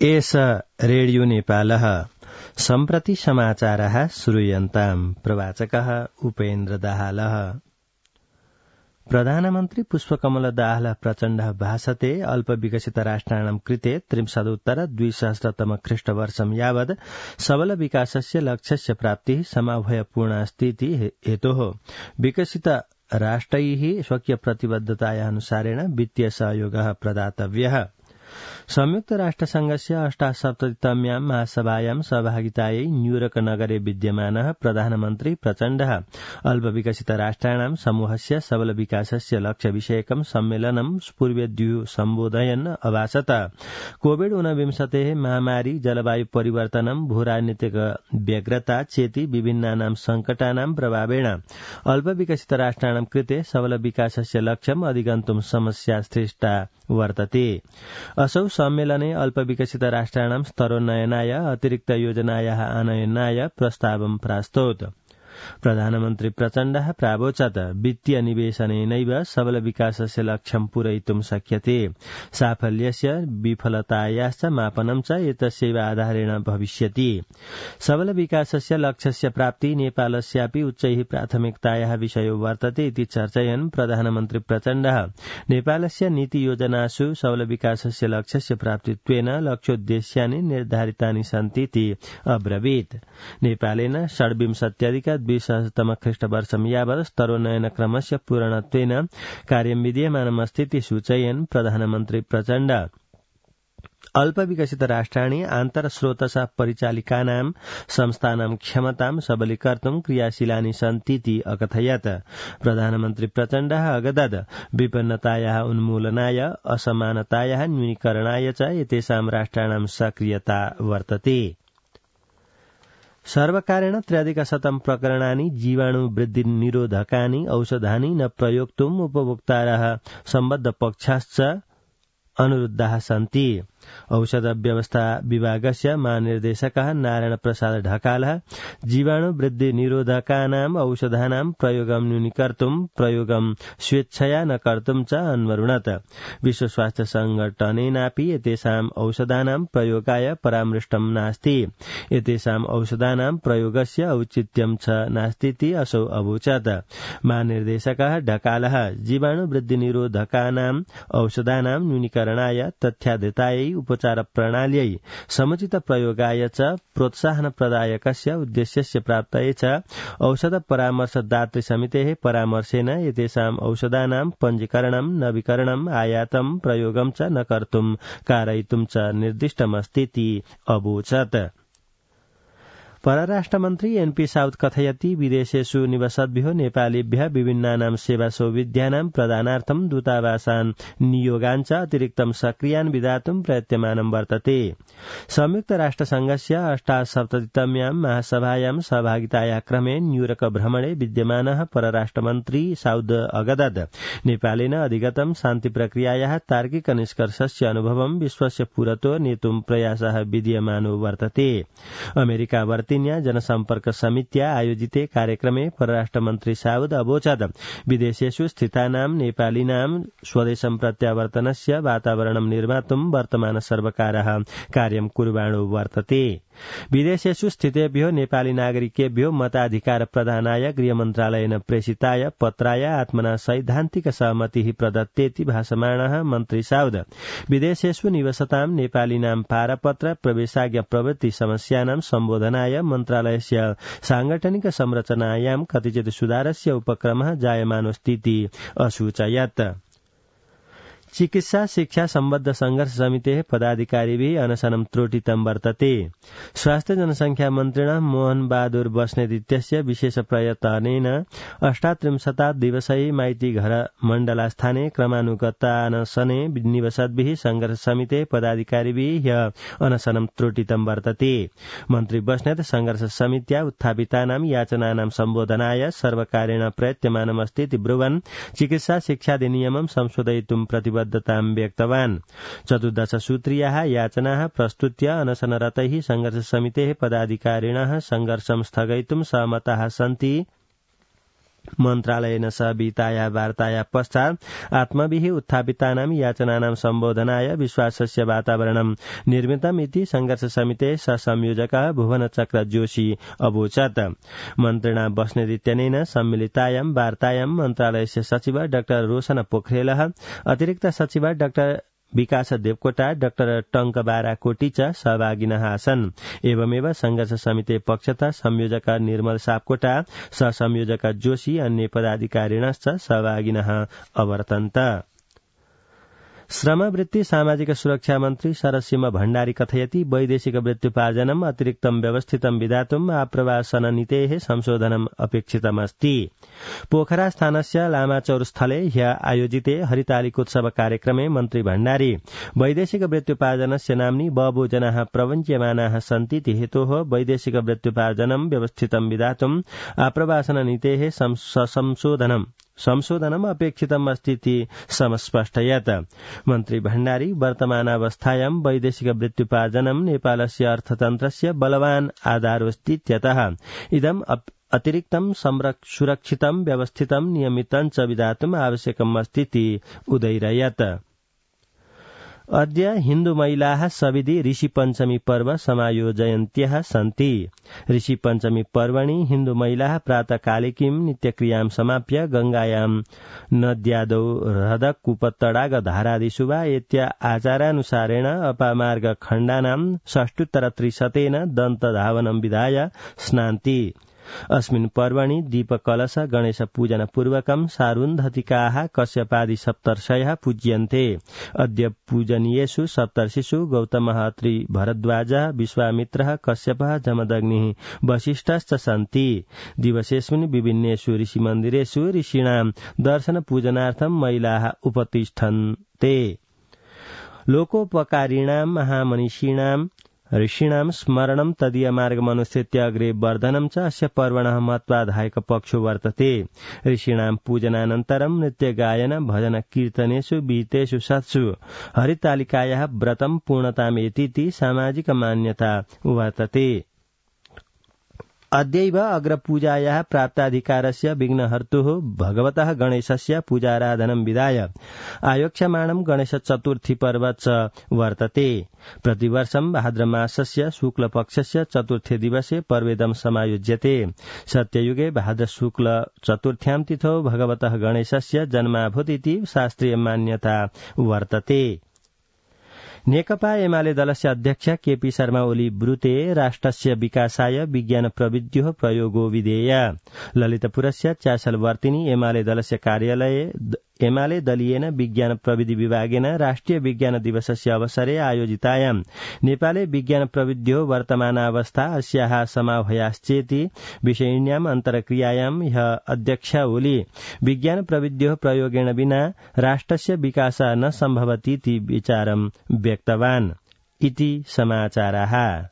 एष रेडियो नेपालः सम्प्रति समाचारः श्रूयन्ताम् प्रवाचकः उपेन्द्र दाहालः। प्रधानमन्त्री पुष्पकमल दाहाल प्रचण्डः भाषते अल्पविकसित राष्ट्राणां कृते 33-2000 ख्रीष्टवर्षं यावत् सबल विकासस्य लक्ष्यस्य प्राप्तिः समाभयपूर्णास्तीति हेतोः विकसित राष्ट्रैः स्वकीय प्रतिबद्धतायाः अनुसारेण वित्तीय सहयोगः प्रदातव्यः। संयुक्त राष्ट्रसंघस्य 78तम्यां महासभायां सहभागितायै न्यूयॉर्क नगरे विद्यमानः प्रधानमन्त्री प्रचण्डः अल्पविकसित राष्ट्राणां समूहस्य सबल विकासस्य लक्ष्य विषयकं सम्मेलनं पूर्वेद्यु सम्बोधयन् अभाषत। कोविड-19 महामारी, जलवायु परिवर्तनं, भूराजनीतिक व्यग्रता चेति विभिन्नानां संकटानां प्रभावेण अल्पविकसित राष्ट्राणां कृते सबल विकासस्य लक्ष्यम् अधिगन्तुं समस्यासृष्टा वर्तते। असौ सम्मेलने अल्पविकसित राष्ट्राणां स्तरोन्नयनाय अतिरिक्त योजनायाः आनयनाय प्रस्तावं प्रास्तौत्। प्रधानमन्त्री प्रचण्डः प्रावोचत् वित्तीय निवेशनेनैव सबल विकासस्य लक्ष्यं पूरयितुं शक्यते। साफल्यस्य विफलतायाश्च मापनं च एतस्यैव आधारेण भविष्यति। सबल विकासस्य लक्ष्यस्य प्राप्ति नेपालस्यापि उच्चैः प्राथमिकतायाः विषयो वर्तते इति चर्चयन् प्रधानमन्त्री प्रचण्डः नेपालस्य नीति योजनासु सबल विकासस्य लक्ष्यस्य प्राप्तित्वेन लक्ष्योद्देश्यानि निर्धारितानि सन्ति इति अब्रवीत्। नेपालेन 20 ख्रीष्टवर्षं यावत् स्तरोन्नयन क्रमस्य पूर्णत्वेन कार्यं विधीयमानमस्तीति सूचयन् प्रधानमन्त्री प्रचण्ड अल्पविकसित राष्ट्राणि आन्तरस्रोतसा परिचालिकानां संस्थानां क्षमतां सबलीकर्तुं क्रियाशीलानि सन्तीति अकथयत्। प्रधानमन्त्री प्रचण्डः अगदत् विपन्नतायाः उन्मूलनाय, असमानतायाः न्यूनीकरणाय च एतेषां राष्ट्राणां सक्रियता वर्तते। सर्वकारेण 300 प्रकरणानि जीवाणु वृद्धि निरोधकानि औषधानि न प्रयोक्तुम् उपभोक्तारः सम्बद्ध पक्षाश्च अनुरुद्धाः सन्ति। औषध व्यवस्था विभागस्य महानिर्देशकः नारायण प्रसाद ढकालः जीवाणु वृद्धि निरोधकानां औषधानां प्रयोगं न्यूनीकर्तुं प्रयोगं स्वेच्छया न कर्तुं च अन्वरुणत्। विश्व स्वास्थ्य संगठनेनापि एतेषां औषधानां प्रयोगाय परामृष्टं नास्ति। एतेषां औषधानां प्रयोगस्य औचित्यं च नास्तीति असौ अवोचत्। महानिर्देशकः ढकालः जीवाणु वृद्धि निरोधकानां औषधानां न्यूनीकरणाय, तथ्याधारितायै उपचार प्रणाल्यै, समुचित प्रयोगाय च प्रोत्साहन प्रदायकस्य उद्देश्यस्य प्राप्तये च औषध परामर्शदातृ समितेः परामर्शेन एतेषां औषधानां पञ्जीकरणं, नवीकरणं, आयातं, प्रयोगं च न कर्तुं कारयितुं च निर्दिष्टमस्तीति अवोचत्। परराष्ट्रमन्त्री एनपी साउथ कथयति विदेशेषु निवसद्भ्यो नेपालीभ्यः विभिन्नानां सेवा सौविध्यानां प्रदानार्थं दूतावासान् नियोगान् च अतिरिक्तं सक्रियान् विधातुं प्रयत्यमानं वर्तते। संयुक्त राष्ट्रसंघस्य 78तम्यां महासभायां सहभागितायाः क्रमे न्यूयॉर्क भ्रमणे विद्यमानः परराष्ट्रमन्त्री साउद अगदत् नेपालेन अधिगतं शान्ति प्रक्रियायाः तार्किक निष्कर्षस्य अनुभवं विश्वस्य पुरतो नेतुं प्रयासः विधीयमानो वर्तते। अमेरिका जनसम्पर्क समित्या आयोजिते कार्यक्रमे परराष्ट्रमन्त्री साउद अवोचत् विदेशेषु स्थितानां नेपालीनां स्वदेशं प्रत्यावर्तनस्य वातावरणं निर्मातुं वर्तमान सर्वकारः कार्यं कुर्वाणो वर्तते। विदेशेषु स्थितेभ्यो नेपाली नागरिकेभ्यो मताधिकार प्रदानाय गृहमन्त्रालयेन प्रेषिताय पत्राय आत्मना सैद्धान्तिक सहमतिः प्रदत्तेति भाषमाणः मन्त्री साउद विदेशेषु निवसतां नेपालीनां पारपत्र प्रवेशाज्ञा प्रभृति समस्यानां सम्बोधनाय मन्त्रालयस्य सांगठनिक संरचनायां कतिचित् सुधारस्य उपक्रमः जायमानोऽस्तीति असूचयत्। चिकित्सा शिक्षा सम्बद्ध संघर्ष समितेः पदाधिकारिभिः अनशनं त्रुटितं वर्तते। स्वास्थ्य जनसंख्या मन्त्रिणः मोहन बहादुर बस्नेत इत्यस्य विशेष प्रयत्नेन 38 दिवसै माइती घर मण्डलास्थाने क्रमानुगतानशने निवसद्भिः संघर्ष समितेः पदाधिकारिभिः अनशनं त्रुटितं वर्तते। मन्त्री बस्नेत संघर्ष समित्या उत्थापितानां याचनानां सम्बोधनाय सर्वकारेण प्रयत्यमानमस्तीति ब्रुवन् चिकित्सा शिक्षाधिनियमं संशोधयितुं प्रतिबद्धतां व्यक्तवान्। 14 सूत्रीयाः याचनाः प्रस्तुत्य अनशनरतैः संघर्ष समितेः पदाधिकारिणः संघर्षं स्थगयितुं सहमताः सन्ति। मन्त्रालयेन सह विताया वार्ताया पश्चात् आत्मभिः उत्थापितानां याचनानां सम्बोधनाय विश्वासस्य वातावरणं निर्मितम् इति संघर्ष समितेः सहसंयोजकः भुवनचक्र जोशी अवोचत्। मन्त्रिणा बस्नेत सम्मिलितायां वार्तायां मन्त्रालयस्य सचिव डाक्टर रोशन पोखरेलः, अतिरिक्त सचिव डाक्टर विकास देवकोटा, डाक्टर टंकबारा कोटी च सहभागिनः आसन्। एवमेव संघर्ष समिति पक्षतः संयोजक निर्मल सापकोटा, सहसंयोजक जोशी, अन्य पदाधिकारिणश्च सहभागिनः अवर्तन्त। श्रमवृत्ति सामाजिक सुरक्षा मन्त्री शरदसिंह भण्डारी कथयति वैदेशिक वृत्त्युपार्जनम् अतिरिक्तं व्यवस्थितं विधातुम् आप्रवासन नीतेः संशोधनम् अपेक्षितमस्ति। पोखरास्थानस्य लामाचौरस्थले ह्य आयोजिते हरितालिकोत्सव कार्यक्रमे मन्त्री भण्डारी वैदेशिक वृत्त्युपार्जनस्य नाम्नि बहवो जनाः प्रवञ्च्यमानाः सन्ति इति हेतोः वैदेशिक वृत्त्युपार्जनं व्यवस्थितं विधातुम् आप्रवासन नीतेः संशोधनम् अपेक्षितम् अस्ति इति समस्पष्टयत्। मन्त्री भण्डारी वर्तमानावस्थायां वैदेशिक वृत्त्युपार्जनं नेपालस्य अर्थतन्त्रस्य बलवान् आधारोऽस्तीत्यतः इदम् अतिरिक्तं सुरक्षितं व्यवस्थितं नियमितं च विधातुम् आवश्यकम् अस्ति इति उदैरयत्। अद्य हिन्दू महिलाः सविधि ऋषि पञ्चमी पर्व समायोजयन्त्यः सन्ति। ऋषि पञ्चमी पर्वणि हिन्दू महिलाः प्रातःकालिकीं नित्यक्रियां समाप्य गंगायां नद्यादौ हृदक कूपतडाग धारादिषु वा एत्य आचारानुसारेण अपामार्ग खण्डानां षष्टुत्तरत्रिशतेन दन्तधावनं विधाय स्नान्ति। अस्मिन् पर्वणि दीपकलश गणेश पूजन पूर्वकं सारुन्धतिकाः कश्यपादि सप्तर्षयः पूज्यन्ते। अद्य पूजनीयेषु सप्तर्षिषु गौतमः, अत्रि, भरद्वाजः, विश्वामित्रः, कश्यपः, जमदग्निः, वसिष्ठश्च सन्ति। दिवसेऽस्मिन् विभिन्नेषु ऋषिमन्दिरेषु ऋषीणां दर्शन पूजनार्थं महिलाः उपतिष्ठन्ते। लोकोपकारिणां महामनीषिणां ऋषीणां स्मरणं तदीयमार्गमनुसृत्य अग्रे वर्धनं च अस्य पर्वणः महत्वाधायक पक्षो वर्तते। ऋषीणां पूजनानन्तरं नृत्यगायन भजन कीर्तनेषु विहितेषु सत्सु हरितालिकायाः व्रतं पूर्णतामेतीति सामाजिक मान्यता वर्तते। अद्यैव अग्रपूजायाः प्राप्ताधिकारस्य विघ्नहर्तुः भगवतः गणेशस्य पूजाराधनं विधाय आयोक्ष्यमाणं गणेश चतुर्थी पर्व च वर्तते। प्रतिवर्षं भाद्रमासस्य शुक्लपक्षस्य चतुर्थे दिवसे पर्वेदं समायोज्यते। सत्ययुगे भाद्र शुक्ल चतुर्थ्यां तिथौ भगवतः गणेशस्य जन्माभूत् इति शास्त्रीय मान्यता वर्तते। नेकपा एमाले दलस्य अध्यक्ष केपी शर्मा ओली ब्रूते राष्ट्रस्य विकासाय विज्ञान प्रविध्योः प्रयोगो विधेय। ललितपुरस्य चासलवर्तिनी एमाले दलस्य कार्यालये एमाले दलीयेन विज्ञान प्रविधि विभागेन राष्ट्रिय विज्ञान दिवसस्य अवसरे आयोजितायां नेपाले विज्ञान प्रविध्योः वर्तमानावस्था अस्याः समाह्वयाश्चेति विषयिण्याम् अन्तर्क्रियायां ह्य अध्यक्ष ओली विज्ञान प्रविध्योः प्रयोगेण विना राष्ट्रस्य विकासः न सम्भवति इति विचारं व्यक्तवान् इति समाचाराः।